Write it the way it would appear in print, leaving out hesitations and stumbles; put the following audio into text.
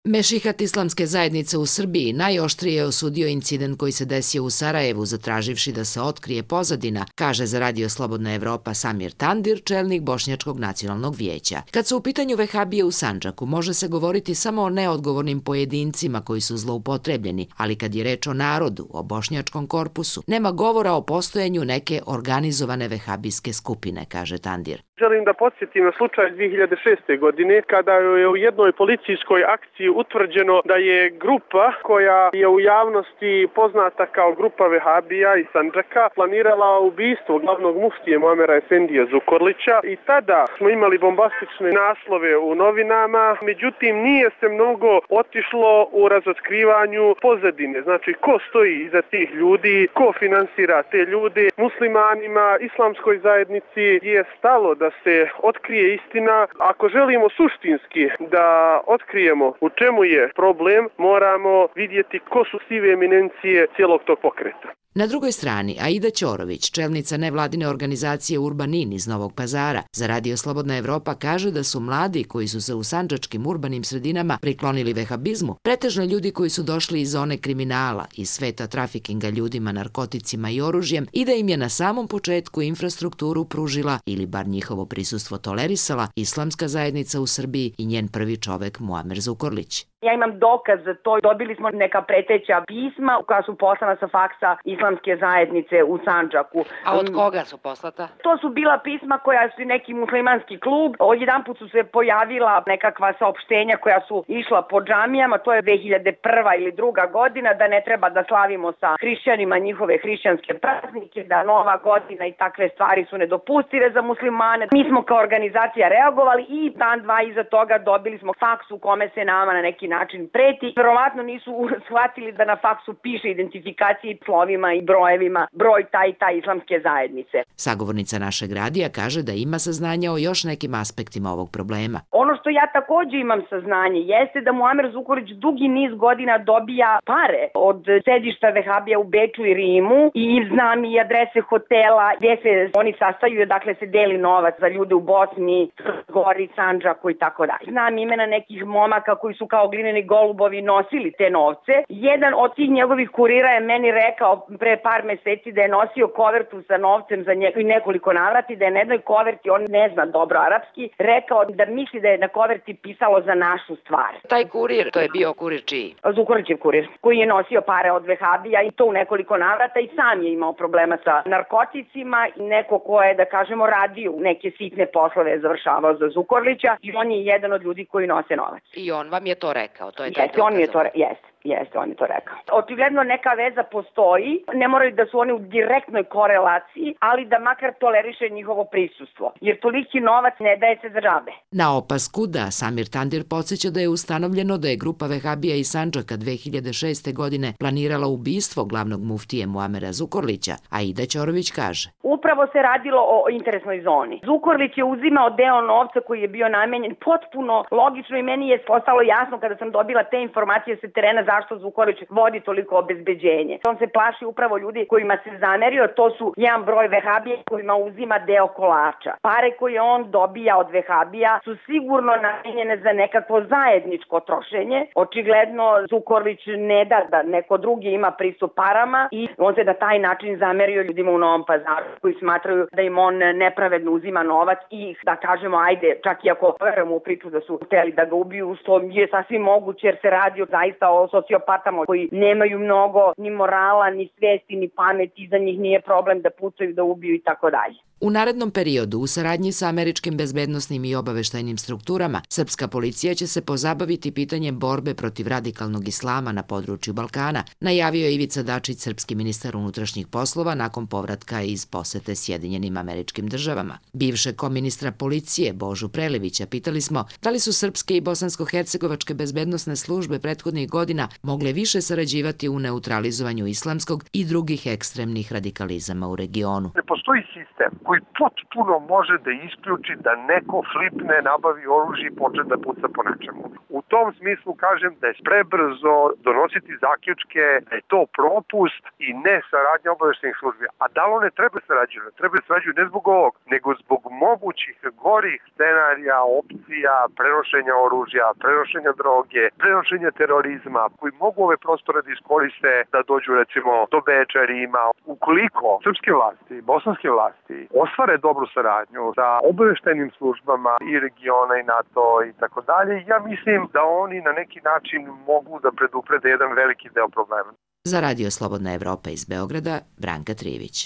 Mešihat islamske zajednice u Srbiji najoštrije je osudio incident koji se desio u Sarajevu, zatraživši da se otkrije pozadina, kaže za Radio Slobodna Evropa Samir Tandir, čelnik Bošnjačkog nacionalnog vijeća. Kad su u pitanju vehabije u Sandžaku, može se govoriti samo o neodgovornim pojedincima koji su zloupotrebljeni, ali kad je reč o narodu, o bošnjačkom korpusu, nema govora o postojanju neke organizovane vehabijske skupine, kaže Tandir. Želim da podsjetim na slučaj 2006. godine kada je u jednoj policijskoj akciji utvrđeno da je grupa koja je u javnosti poznata kao grupa vehabija iz Sandžaka planirala ubistvo glavnog muftije Muamera Efendija Zukorlića i tada smo imali bombastične naslove u novinama, međutim nije se mnogo otišlo u razotkrivanju pozadine, znači ko stoji iza tih ljudi, ko finansira te ljude. Muslimanima, islamskoj zajednici je stalo da se otkrije istina. Ako želimo suštinski da otkrijemo u čemu je problem, moramo vidjeti ko su sive eminencije cijelog tog pokreta. Na drugoj strani, Aida Ćorović, čelnica nevladine organizacije Urbanin iz Novog Pazara, za Radio Slobodna Evropa kaže da su mladi koji su se u sandžačkim urbanim sredinama priklonili vehabizmu, pretežno ljudi koji su došli iz zone kriminala, iz sveta trafikinga ljudima, narkoticima i oružjem i da im je na samom početku infrastrukturu pružila ili bar njihovo prisustvo tolerisala islamska zajednica u Srbiji i njen prvi čovek Muamer Zukorlić. Ja imam dokaz za to. Dobili smo neka preteća pisma koja su poslana sa faksa islamske zajednice u Sandžaku. A od koga su poslata? To su bila pisma koja su neki muslimanski klub. Odjedanput su se pojavila nekakva saopštenja koja su išla po džamijama. To je 2001. ili 2. godina, da ne treba da slavimo sa hrišćanima njihove hrišćanske praznike, da Nova godina i takve stvari su nedopustive za muslimane. Mi smo kao organizacija reagovali i dan dva iza toga dobili smo faks u kome se nama na neki način preti. Verovatno nisu shvatili da na faksu piše identifikacije slovima i brojevima, broj taj i taj islamske zajednice. Sagovornica našeg radija kaže da ima saznanja o još nekim aspektima ovog problema. Ono što ja također imam saznanje jeste da Muamer Zukorlić dugi niz godina dobija pare od sedišta vehabija u Beču i Rimu i znam i adrese hotela gdje se oni sastaju, dakle se deli novac za ljude u Bosni, Gori, Sandžaku i tako dalje. Znam imena nekih momaka koji su kao glineni golubovi nosili te novce. Jedan od tih njegovih kurira je meni rekao pre par meseci da je nosio kovertu sa novcem za njega i nekoliko navrati, da je na jednoj koverti, on ne zna dobro arapski, rekao da misli da je na koverti pisalo za našu stvar. Taj kurir, to je bio kurir čiji? Zukorlićev kurir, koji je nosio pare od vehabija i to u nekoliko navrata i sam je imao problema sa narkoticima i neko ko je, da kažemo, radio neke sitne poslove završavao za Zukorlića i on je jedan od ljudi koji nose novac. I on vam je to rekao? To je jeste, on je to rekao. Očigledno neka veza postoji, ne moraju da su oni u direktnoj korelaciji, ali da makar toleriše njihovo prisustvo, jer toliki novac ne daje se za džabe. Na opasku da Samir Tandir podsjeća da je ustanovljeno da je grupa vehabija iz Sandžaka 2006. godine planirala ubistvo glavnog muftije Muamera Zukorlića, a Aida Ćorović kaže: Upravo se radilo o interesnoj zoni. Zukorlić je uzimao deo novca koji je bio namenjen potpuno logično i meni je postalo jasno kada sam dobila te informacije sa terena zašto Zukorlić vodi toliko obezbeđenje. On se plaši upravo ljudi kojima se zamerio, to su jedan broj vehabija kojima uzima deo kolača. Pare koje on dobija od vehabija su sigurno namenjene za nekakvo zajedničko trošenje. Očigledno Zukorlić ne da neko drugi ima pristup parama i on se na taj način zamerio ljudima u Novom Pazaru koji smatraju da im on nepravedno uzima novac i da kažemo ajde, čak i ako verujemo u priču da su hteli da ga ubiju, što je sasvim moguće jer se radi zaista o sociopatama koji nemaju mnogo ni morala, ni svesti, ni pameti, za njih nije problem da pucaju, da ubiju i tako dalje. U narednom periodu, u saradnji sa američkim bezbednosnim i obaveštajnim strukturama, srpska policija će se pozabaviti pitanjem borbe protiv radikalnog islama na području Balkana, najavio je Ivica Dačić, srpski ministar unutrašnjih poslova, nakon povratka iz posete Sjedinjenim Američkim Državama. Bivšeg koministra policije Božu Prelevića pitali smo da li su srpske i bosansko-hercegovačke bezbednosne službe prethodnih godina mogle više sarađivati u neutralizovanju islamskog i drugih ekstremnih radikalizama u regionu. Ne postoji sistem koji potpuno može da isključi da neko flipne, nabavi oružje i počne da puca po nečemu. U tom smislu kažem da je prebrzo donositi zaključke da je to propust i ne saradnja obaveštajnih službi. A da li one treba sarađuju? Treba sarađuju ne zbog ovog, nego zbog mogućih gorih scenarija, opcija, prenošenja oružja, prenošenja droge, prenošenja terorizma, koji mogu ove prostore da iskoriste da dođu recimo do Beča, Rima. Ukoliko srpske vlasti, bosanske vlasti ostvare dobru saradnju sa obaveštajnim službama i regiona i NATO i tako dalje, ja mislim da oni na neki način mogu da preduprede jedan veliki deo problema. Za Radio Slobodna Evropa iz Beograda, Branka Trivić.